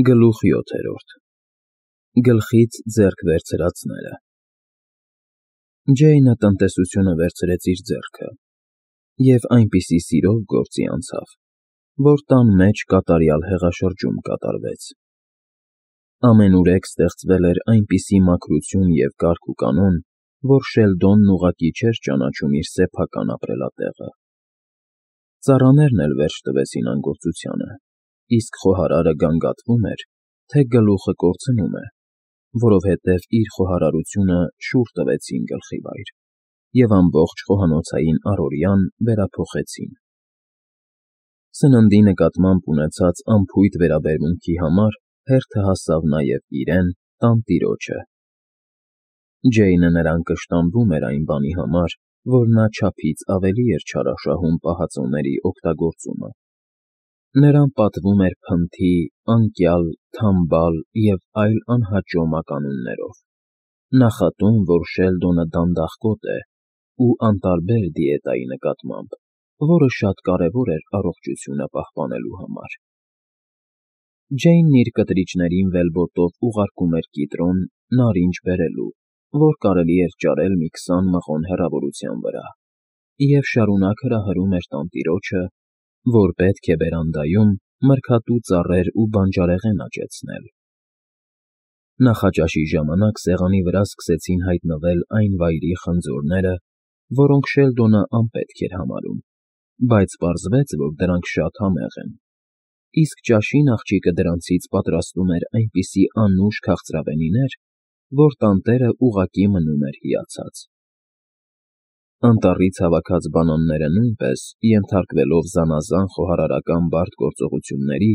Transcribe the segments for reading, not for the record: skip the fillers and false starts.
Գլուխ 7. Գլխից ձեռք վերցրածները։ Ջեյնը տնտեսությունը վերցրեց իր ձեռքը և այնպիսի սիրով գործի անցավ, որ տան մեջ կատարյալ հեղաշրջում կատարվեց։ Ամենուրեք ստեղծվել էր այնպիսի մաքրություն և կարգ ու կանոն, որ Շելդոնն ուղղակի չէր ճանաչում իր սեփական ապրելատեղը։ Ծառաներն էլ վերջ տվեցին անգործությանը, իսկ խոհարարը գանգատվում էր, թե գլուխը կորցնում է, որովհետև իր խոհարարությունը շուռ տվեցին գլխիվայր և ամբողջ խոհանոցային առօրյան վերափոխեցին։ Սննդի նկատմամբ ունեցած անփույթ վերաբերմունքի համար հերթը հասավ նաև իրեն, տանտիրոջը։ Ջեյնը նրան կշտամբում էր այն բանի համար, որ նա չափից ավելի էր չարաշահում պահածոների օգտագործումը։ Նրան պատվում էր փնթի, անկյալ, թամբալ և այլ անհաճո մականուններով, նախատում, որ Շելդոնը դանդաղկոտ է ու անտարբեր դիետայի նկատմամբ, որը շատ կարևոր էր առողջությունը պահպանելու համար։ Ջեյնն իր կտրիչներին վելբոտով ուղարկում էր կիտրոն, նարինջ բերելու, որ կարելի էր ճարել մի 20 մղոն հեռավորության վրա, և շարունակ հրահրում էր տանտիրոջը, որ պետք է բերանդայում մրգատու ծառեր ու բանջարեղեն աճեցնել։ Նախաճաշի ժամանակ սեղանի վրա սկսեցին հայտնվել այն վայրի խնձորները, որոնք Շելդոնը անպետք էր համարում, բայց պարզվեց, որ դրանք շատ համեղ են, իսկ ճաշին աղջիկը դրանցից պատրաստում էր այնպիսի անուշ քաղցրավենիներ, որ տանտերը ուղղակի մնում էր հիացած։ Անտառից հավաքած բանանները նույնպես, ենթարկվելով զանազան խոհարարական բարդ գործողությունների,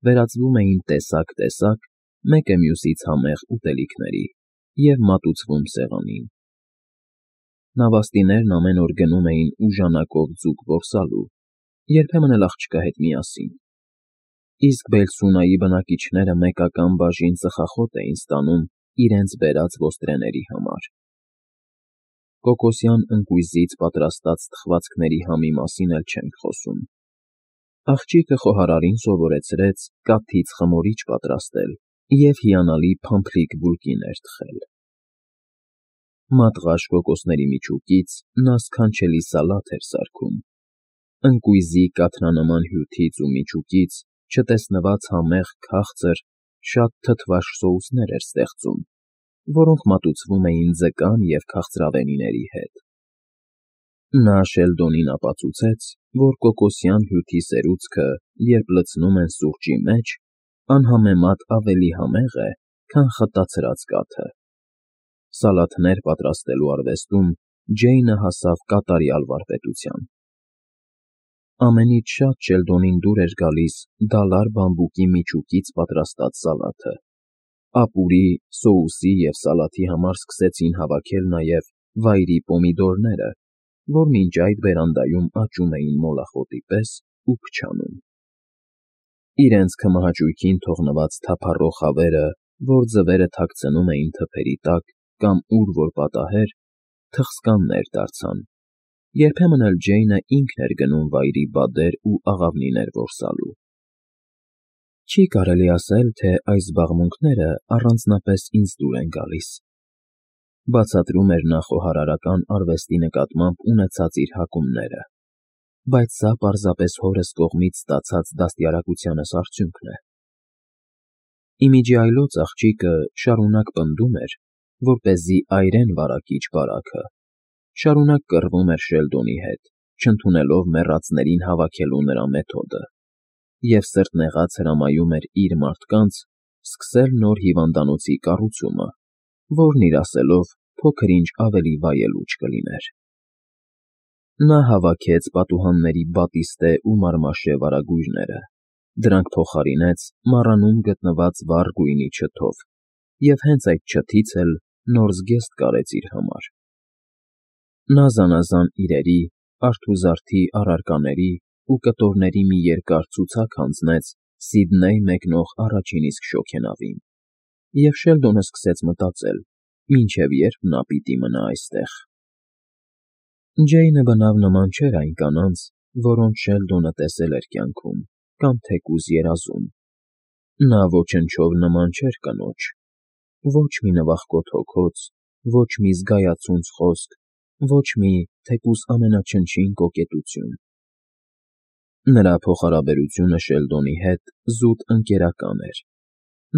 վերածվում էին տեսակ, մեկը մյուսից համեղ ուտելիքների և մատուցվում սեղանին։ Նավաստիներն ամեն օր գնում էին ուժանակով ձուկ որսալու, երբեմն էլ աղջկա հետ միասին, իսկ Բելսունայի բնակիչները մեկական բաժին ծխախոտ էին ստանում իրենց բերած ոստրեների համար։ Կոկոսյան ընկույզից պատրաստած թխվածքների համի մասին էլ չենք խոսում։ Աղջիկը խոհարարին սովորեցրեց կաթից խմորիչ պատրաստել և հիանալի փամփլիկ բուլկիներ թխել։ Մատղաշ կոկոսների միջուկից նա սքանչելի սալաթ էր սարքում, ընկույզի կաթնանման հյութից ու միջուկից չտեսնված համեղ, քաղցր, շատ թթվաշ սոուսներ էր ստեղծում, որոնք մատուցվում էին ձկան և քաղցրավենիների հետ։ Նա Շելդոնին ապացուցեց, որ կոկոսյան հյութի սերուցքը, երբ լցնում են սուրճի մեջ, անհամեմատ ավելի համեղ է, քան խտացրած կաթը։ Սալաթներ պատրաստելու արվեստում Ջեյնը հասավ կատարյալ վարպետության։ Ամենից շատ Շելդոնին դուր էր գալիս դալար բամբուկի միջուկից պատրաստած սալաթը։ Ապուրի, սոուսի և սալաթի համար սկսեցին հավաքել նաև վայրի պոմիդորները, որ մինչ այդ բերանդայում աճում էին մոլախոտի պես ու փչանում։ Իրենց քմահաճույքին թողնված թափառող հավերը, որ ձվերը թաքցնում էին թփերի տակ կամ ուր որ պատահեր, թխսկաններ դարձան, երբեմն էլ Ջեյնը ինքն էր գնում վայրի բադեր ու աղավնիներ որսալու։ Չի կարելի ասել, թե այս զբաղմունքները առանձնապես ինձ դուր են գալիս, բացատրում էր նա խոհարարական արվեստի նկատմամբ ունեցած իր հակումները, բայց սա պարզապես հորս կողմից ստացած դաստիարակությանս արդյունքն է։ Ի միջի այլոց աղջիկը շարունակ պնդում էր, որպեսզի այրեն վարակիչ բարաքը, շարունակ կռվում էր Շելդոնի հետ, չընդունելով մեռածներին հավաքելու նրա մեթոդը, և սրտնեղած հրամայում էր իր մարդկանց սկսել նոր հիվանդանոցի կառուցումը, որն իր ասելով փոքր-ինչ ավելի վայելուչ կլիներ։ Նա հավաքեց պատուհանների բատիստե ու մարմաշե վարագույրները, դրանք փոխարինեց մառանում գտնված վառ գույնի չթով և հենց այդ չթից էլ նոր զգեստ կարեց իր համար։ Նա զանազան իրերի, արթուզարդի առարկաների ու կտորների մի երկար ցուցակ հանձնեց Սիդնեյ մեկնող առաջին իսկ շոգենավին, և Շելդոնը սկսեց մտածել, մինչև երբ նա պիտի մնա այստեղ։ Ջեյնը բնավ նման չէր այն կանանց, որոնց Շելդոնը տեսել էր կյանքում կամ թեկուզ երազում։ Նա ոչնչով նման չէր կնոջ. ոչ մի նվախկոտ հոգոց, ոչ մի զգայացունց խոսք, ոչ մի թեկուզ ամենաչնչին կոկետություն. նրա փոխհարաբերությունը Շելդոնի հետ զուտ ընկերական էր.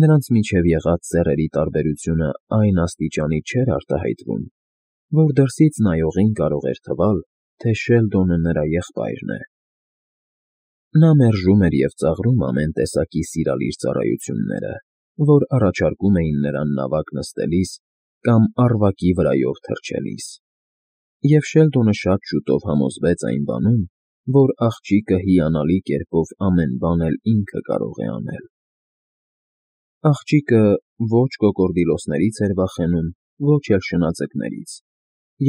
նրանց միջև եղած սեռերի տարբերությունը այն աստիճանի չէր արտահայտվում, որ դրսից նայողին կարող էր թվալ, թե Շելդոնը նրա եղբայրն է. նա մերժում էր և ծաղրում ամեն տեսակի սիրալիր ծառայությունները, որ առաջարկում էին նրան նավակ նստելիս կամ առվակի վրայով թռչելիս, և Շելդոնը շատ շուտով համոզվեց այն բանում, որ աղջիկը հիանալի կերպով ամեն բան էլ ինքը կարող է անել. Աղջիկը ոչ կոկորդիլոսներից էր վախենում, ոչ էլ շնաձկներից,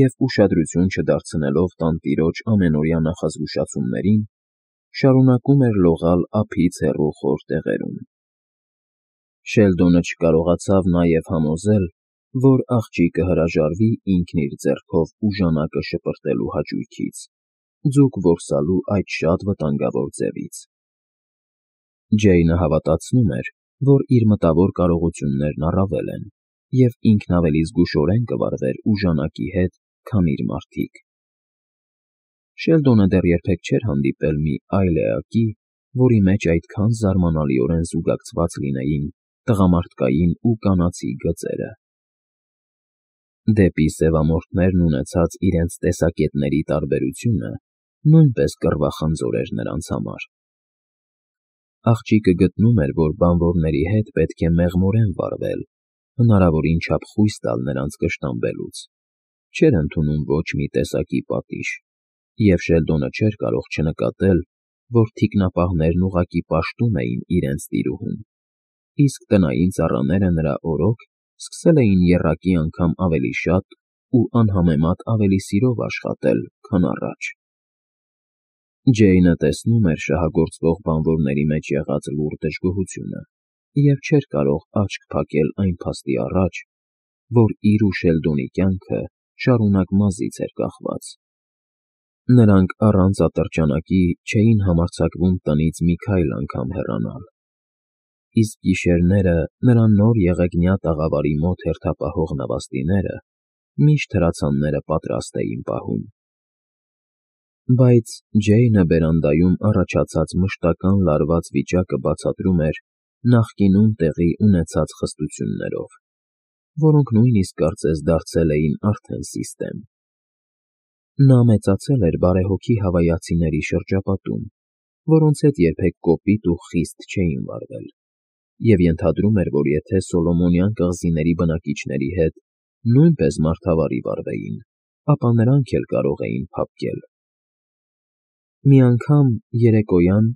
և ուշադրություն չդարձնելով տանտիրոջ ամենօրյա նախազգուշացումներին, շարունակում էր լողալ ափից հեռու խոր տեղերում. Շելդոնը չկարողացավ նաև համոզել, որ աղջիկը հրաժարվի ինքն իր ձեռքով ուժանակը շպրտելու հաճույքից, ձուկ որսալու այդ շատ վտանգավոր ձևից. Ջեյնը հավատացնում էր, որ իր մտավոր կարողություններն առավել են, և ինքն ավելի զգուշորեն կվարվեր ուժանակի հետ, քան իր մարդիկ. Շելդոնը դեռ երբեք չէր հանդիպել մի այլ էակի, որի մեջ այդքան զարմանալիորեն զուգակցված լինեին տղամարդկային ու կանացի գծերը. Դեպի սևամորթներն ունեցած իրենց տեսակետների տարբերությունը նույնպես կռվախնձոր էր նրանց համար. աղջիկը գտնում էր, որ բանվորների հետ պետք է մեղմորեն վարվել, հնարավորին չափ խույս տալ նրանց կշտամբելուց, չէր ընդունում ոչ մի տեսակի պատիժ, և Շելդոնը չէր կարող չնկատել, որ թիկնապահներն ուղղակի պաշտում էին իրենց տիրուհուն, իսկ տնային ծառաները նրա օրոք սկսել էին եռակի անգամ ավելի շատ ու անհամեմատ ավելի սիրով աշխատել, քան առաջ. Ջեյնը տեսնում էր շահագործվող բանվորների մեջ եղած լուռ դժգոհությունը և չէր կարող աչք փակել այն փաստի առաջ, որ իր ու Շելդոնի կյանքը շարունակ մազից էր կախված. նրանք առանց ատրճանակի չէին համարձակվում տնից մի քայլ անգամ հեռանալ, իսկ գիշերները նրա նոր եղեգնյա տաղավարի մոտ հերթապահող նավաստիները միշտ հրացանները պատրաստ էին պահում. Բայց Ջեյնը բերանդայում առաջացած մշտական լարված վիճակը բացատրում էր նախկինում տեղի ունեցած խստություններով, որոնք նույնիսկ կարծես դարձել էին արդեն սիստեմ. նա մեծացել էր բարեհոգի հավայացիների շրջապատում, որոնց հետ երբեք կոպիտ ու խիստ չէին վարվել, և ենթադրում էր, որ եթե Սոլոմոնյան կղզիների բնակիչների հետ նույնպես մարդավարի վարվեին, ապա նրանք էլ կարող էին փափկել. Մի անգամ երեկոյան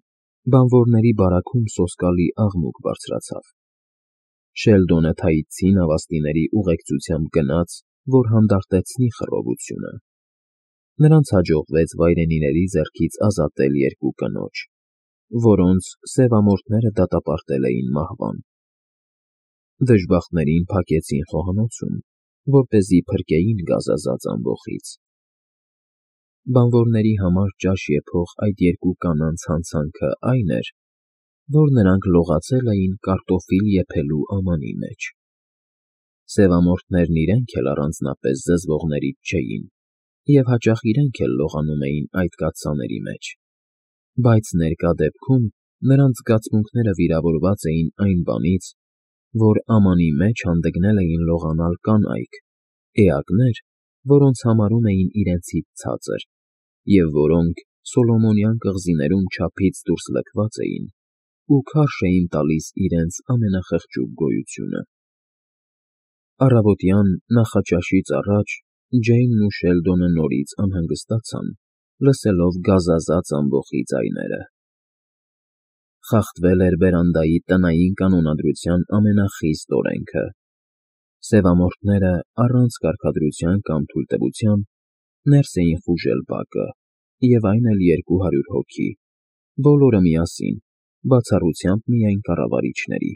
բանվորների բարաքում սոսկալի աղմուկ բարձրացավ. Շելդոնը թայիցի նավաստիների ուղեկցությամբ գնաց, որ հանդարտեցնի խռովությունը. նրանց հաջողվեց վայրենիների ձեռքից ազատել երկու կնոջ, որոնց սևամորթները դատապարտել էին մահվան. դժբախտներին փակեցին խոհանոցում, որպեսզի փրկեին գազազած ամբոխից. բանվորների համար ճաշ եփող այդ երկու կանանց հանցանքը այն էր, որ նրանք լողացել էին կարտոֆիլ եփելու ամանի մեջ. Սևամորթներն իրենք էլ առանձնապես զզվողներից չէին, և հաճախ իրենք էլ լողանում էին այդ կաթսաների մեջ, բայց ներկա դեպքում նրանց զգացմունքները վիրավորված էին այն բանից, որ ամանի մեջ հանդգնել էին լողանալ կանայք, էակներ, որոնց համարում էին իրենցից ցածր, և որոնք Սոլոմոնյան կղզիներում չափից դուրս լքված էին ու քարշ էին տալիս իրենց ամենախղճուկ գոյությունը. Առավոտյան նախաճաշից առաջ Ջեյնն ու Շելդոնը նորից անհանգստացան, լսելով գազազած ամբոխի ձայները. խախտվել էր բերանդայի տնային կանոնադրության ամենախիստ օրենքը. սևամորթները առանց կարգադրության կամ թույլտվության ներս էին խուժել բակը, և այն էլ 200 հոգի, բոլորը միասին, բացառությամբ միայն կառավարիչների,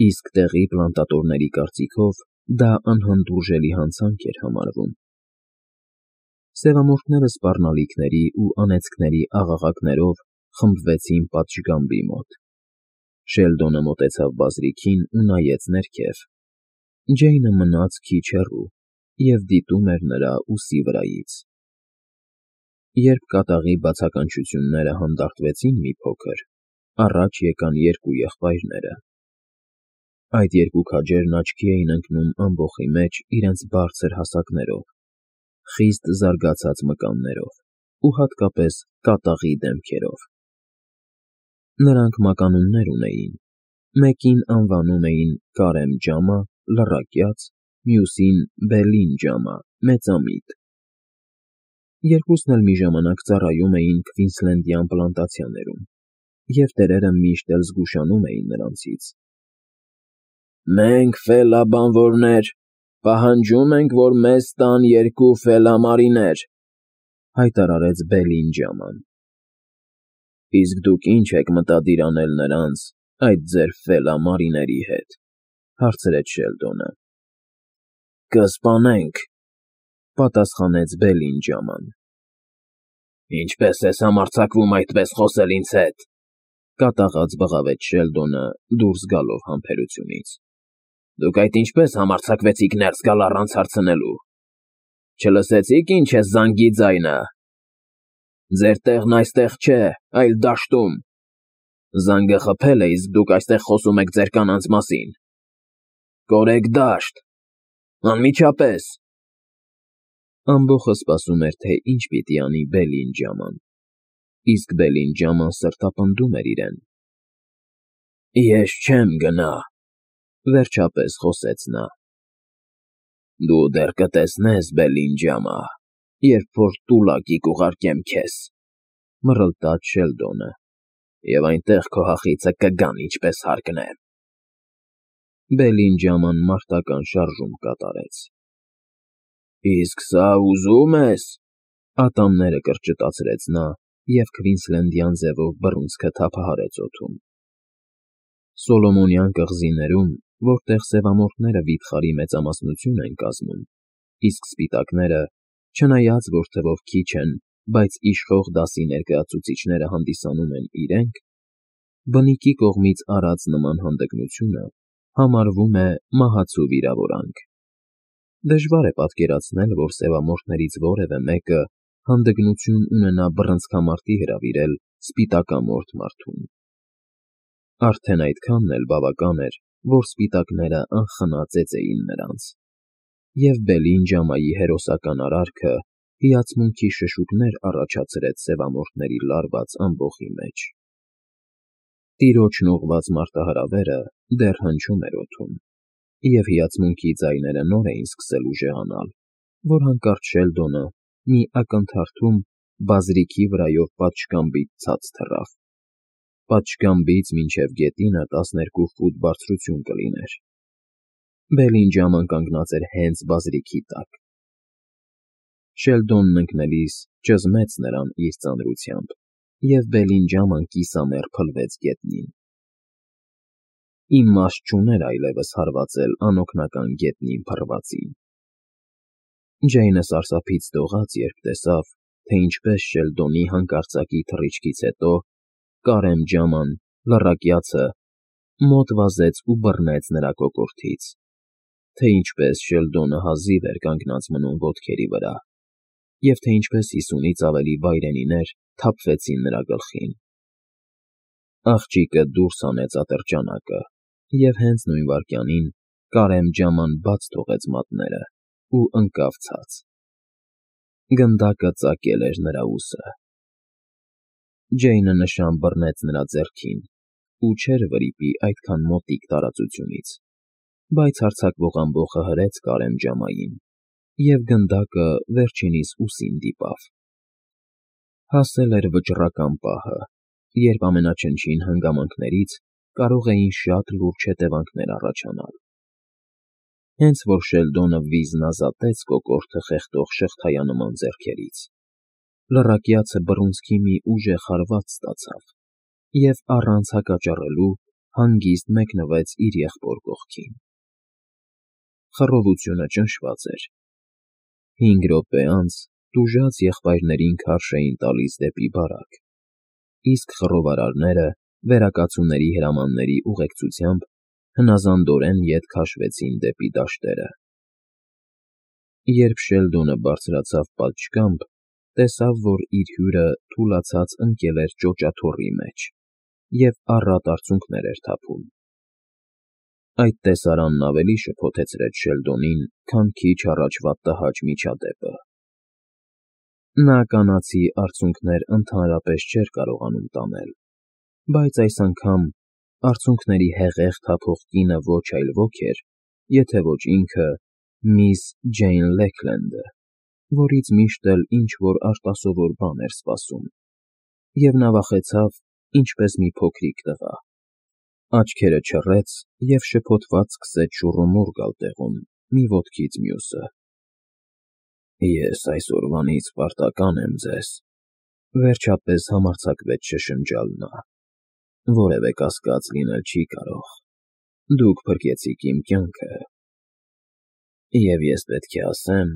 իսկ տեղի պլանտատորների կարծիքով դա անհանդուրժելի հանցանք էր համարվում. Սևամորթները սպառնալիքների ու անեծքների աղաղակներով խմբվեցին պատշգամբի մոտ. Շելդոնը մոտեցավ բազրիքին ու նայեց ներքև։ Ջեյնը մնաց քիչ հեռու և դիտում էր նրա ուսի վրայից։ Երբ կատաղի բացականչությունները հանդարտվեցին մի փոքր, առաջ եկան երկու եղբայրները։ Այդ երկու քաջերն աչքի էին ընկնում ամբոխի մեջ իրենց բարձր հասակներով, խիստ զարգացած մկաններով ու հատկապես կատաղի դեմքերով։ Նրանք մականուններ ունեին, մեկին անվանում էին Կարեմ ջամա, լռակյաց, մյուսին Բելին ջամա, մեծամիտ։ Երկուսն էլ մի ժամանակ ծառայում էին Քվինսլենդյան պլանտացիաներում, և տերերը միշտ էլ զգուշանում էին նրանցից։ «Մենք, ֆելաբանվորներ, պահանջում ենք, որ մեզ տան երկու ֆելամարիներ», հայտարարեց Բելին ջաման։ «Իսկ դուք ի՞նչ եք մտադիր անել նրանց, այդ ձեր ֆելամարիների հետ», հարցրեց Շելդոնը։ «Կսպանենք», պատասխանեց Բելին ջաման։ «Ինչպե՞ս ես համարձակվում այդպես խոսել ինձ հետ», կատաղած բղավեց Շելդոնը դուրս գալով համբերությունից։ «Դուք այդ ինչպե՞ս համարձակվեցիք ներս գալ առանց հարցնելու։ Չլսեցի՞ք ինչ է զանգի ձայնը։ Ձեր տեղն այստեղ չէ, այլ դաշտում։ Զանգը խփել է, իսկ դուք այստեղ խոսում եք ձեր կանանց մասին։ Կորեք դաշտ, անմիջապես»։ Ամբոխը սպասում էր, թե ինչ պիտի անի Բելին ջաման, իսկ Բելին ջաման սրտապնդում էր իրեն։ «Ես չեմ գնա», վերջապես խոսեց նա։ «Դու դեռ կտեսնես, Բելին ջամա, երբ որ տուլակի կուղարկեմ քեզ», մռլտաց Շելդոնը, «և այնտեղ քո հախիծը կգան ինչպես հարկնեմ»։ Բելին ջաման մարտական շարժում կատարեց։ «Իսկ սա ուզում ես», ատամները կրճտացրեց նա և Քվինսլենդյան ձևով բռունցքը թափահարեց օդում։ Սոլոմոնյան կղզիներում, որտեղ սևամորթները վիթխարի մեծամասնություն են կազմում, իսկ սպիտակները, չնայած որ թվով քիչ են, բայց իշխող դասի ներկայացուցիչները հանդիսանում են իրենք, բնիկի կողմից արած նման հանդգնությունը համարվում է մահացու վիրավորանք։ Դժվար է պատկերացնել, որ սևամորթներից որևէ մեկը հանդգնություն ունենա բռնցքամարտի հրավիրել սպիտակամորթ մարդուն։ Արդեն այդքանն էլ բավական էր, որ սպիտակները անխնա ծեծեին նրանց, և Բելին ջամայի հերոսական արարքը հիացմունքի շշուկներ առաջացրեց սևամորթների լարված ամբոխի մեջ։ Տիրոջն ուղղված մարտահրավերը դեռ հնչում էր օդում, և հիացմունքի ձայները նոր էին սկսել ուժեղանալ, որ հանկարծ Շելդոնը մի ակնթարթում բազրիքի վրայով պատշգամբից ցած թռավ։ Պատշգամբից մինչև գետինը 12 ֆուտ բարձրություն կլիներ։ Բելին ջաման կանգնած էր հենց բազրիքի տակ։ Շելդոնն ընկնելիս ճզմեց նրան իր ծանրությամբ, և Բելին ջաման կիսամեռ փլվեց գետնին։ Իմաստ չուներ այլևս հարվածել անօգնական գետնին փռվածին։ Ջեյնը սարսափից դողաց, երբ տեսավ, թե ինչպես Շելդոնի հանկարծակի թռիչքից հետո Կարեմ ջաման, լռակյացը, մոտ վազեց ու բռնեց նրա կոկորդից, թե ինչպես Շելդոնը հազիվ էր կանգնած մնում ոտքերի վրա, և թե ինչպես 50-ից ավելի վայրենիներ թափվեցին նրա գլխին։ Աղջիկը դուրս հանեց ատրճանակը, և հենց նույն վայրկյանին Կարեմ ջաման բաց թողեց մատները ու ընկավ ցած։ Գնդակը ծակել էր նրա ուսը։ Ջեյնը նշան բռնեց նրա ձեռքին ու չէր վրիպի այդքան մոտիկ տարածությունից, բայց հարձակվող ամբոխը հրեց Կարեմ ջամային, և գնդակը վերջինիս ուսին դիպավ։ Հասել էր վճռական պահը, երբ ամենաչնչին հանգամանքներից կարող էին շատ լուրջ հետևանքներ առաջանալ։ Հենց որ Շելդոնը վիզն ազատեց կոկորդը խեղդող շղթայանման ձեռքերից, լռակյացը բռունցքի մի ուժեղ հարված ստացավ և առանց հակճառելու հանգիստ մեկնվեց իր եղբոր կողքին։ Խռովությունը ճնշված էր։ 5 րոպե անց տուժած եղբայրներին քարշ էին տալիս դեպի բարակ, իսկ խռովարարները վերակացուների հրամանների ուղեկցությամբ հնազանդորեն ետ քաշվեցին դեպի դաշտերը։ Երբ Շելդոնը բարձրացավ պատշգամբ, տեսավ, որ իր հյուրը թուլացած ընկել էր ճոճաթոռի մեջ և առատ արցունքներ էր թափում։ Այդ տեսարանն ավելի շփոթեցրեց Շելդոնին, քան քիչ առաջվա տհաճ միջադեպը։ Նա կանացի արցունքներ ընդհանրապես չէր կարողանում տանել, բայց այս անգամ արցունքների հեղեղ թափող կինը ոչ այլ ոք էր, եթե ոչ ինքը միս Ջեյն Լեքլենդը, որից միշտ էլ ինչ-որ արտասովոր բան էր սպասում, և նա վախեցավ, ինչպես մի փոքրիկ տղա։ Աչքերը չռեց և շփոթված սկսեց շուռումուռ գալ տեղում, մի ոտքից մյուսը։ «Ես այսօրվանից պարտական եմ ձեզ», վերջապես համարձակվեց շշնջալ նա։ «Որևէ կասկած լինել չի կարող։ Դուք փրկեցիք իմ կյանքը, և ես պետք է ասեմ…»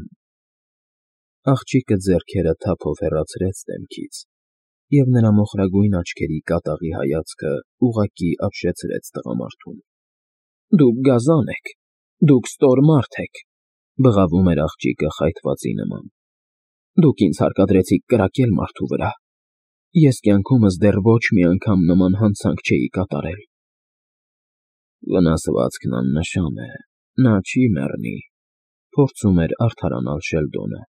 Աղջիկը ձեռքերը թափով հեռացրեց դեմքից, և նրա մոխրագույն աչքերի կատաղի հայացքը ուղղակի ապշեցրեց տղամարդուն։ «Դուք գազան եք, դուք ստոր մարդ եք», բղավում էր աղջիկը խայթվածի նման։ «Դուք ինձ հարկադրեցիք կրակել մարդու վրա։ Ես կյանքումս դեռ ոչ մի անգամ նման հանցանք չէի կատարել»։ «Վնասվածքն աննշան է, նա չի մեռնի», փորձում էր արդարանալ Շելդոնը։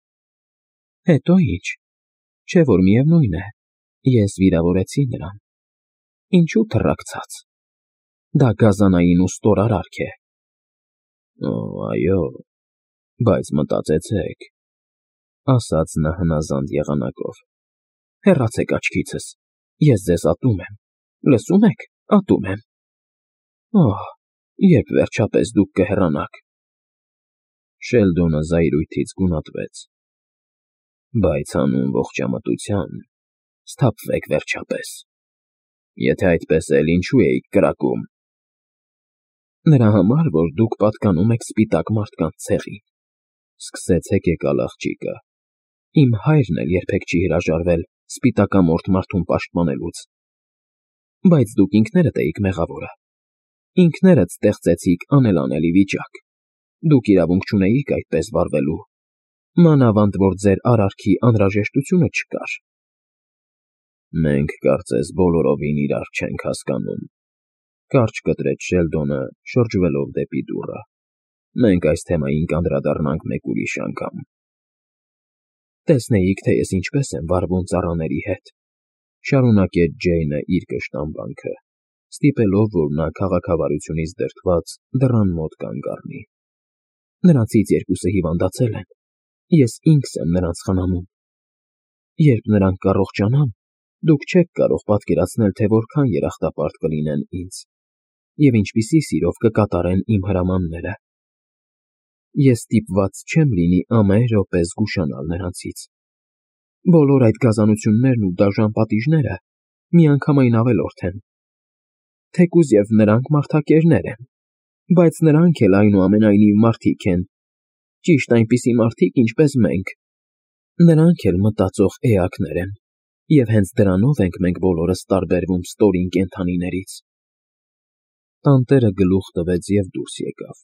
«Հետո ի՞նչ, չէ՞ որ միևնույն է, ես վիրավորեցի նրան։ Ինչու թռակցաց։ Դա գազանային ու ստոր արարք է»։ «Օ, այո, բայց մտածեցեք», ասաց նա հնազանդ եղանակով։ «Հեռացեք աչքիցս, ես ձեզ ատում եմ, լսում եք, ատում եմ։ Օհ, երբ վերջապես դուք կհեռանաք»։ Շելդոնը զայրույթից գունատվեց։ «Բայց հանուն ողջամտության սթափվեք վերջապես։ Եթե այդպես էլ ինչու էիք կրակում»։ «Նրա համար, որ դուք պատկանում եք սպիտակ մարդկանց ցեղին», սկսեց հեկեկալ աղջիկը։ «Իմ հայրն էլ երբեք չի հրաժարվել սպիտակամորթ մարդուն պաշտպանելուց։ Բայց դուք ինքներդ էիք մեղավորը։ Ինքներդ ստեղծեցիք անելանելի վիճակ։ Դուք իրավունք չունեիք այդպես վարվելու, մանավանդ որ ձեր արարքի անհրաժեշտությունը չկար»։ «Մենք կարծես բոլորովին իրար չենք հասկանում», կարճ կտրեց Շելդոնը, շրջվելով դեպի դուռը։ «Մենք այս թեմային կանդրադառնանք մեկ ուրիշ անգամ»։ «Տեսնեիք, թե ես ինչպես եմ վարվում ծառաների հետ», շարունակեց Ջեյնը իր կշտամբանքը, ստիպելով, որ նա քաղաքավարությունից դրդված դռան մոտ կանգ առնի։ «Նրանցից երկուսը հիվանդացել են, ես ինքս եմ նրանց խնամում։ Երբ նրանք կառողջանան, դուք չեք կարող պատկերացնել, թե որքան երախտապարտ կլինեն ինձ և ինչպիսի սիրով կկատարեն իմ հրամանները։ Ես ստիպված չեմ լինի ամեն րոպե զգուշանալ նրանցից։ Բոլոր այդ գազանություններն ու դաժան պատիժները միանգամայն ավելորդ են։ Թեկուզ և նրանք մարդակերներ են, բայց նրանք էլ այնուամենայնիվ մարդիկ են, ճիշտ այնպիսի մարդիկ, ինչպես մենք։ Նրանք էլ մտածող էակներ են, և հենց դրանով ենք մենք բոլորս տարբերվում ստորին կենդանիներից»։ Տանտերը գլուխ տվեց և դուրս եկավ։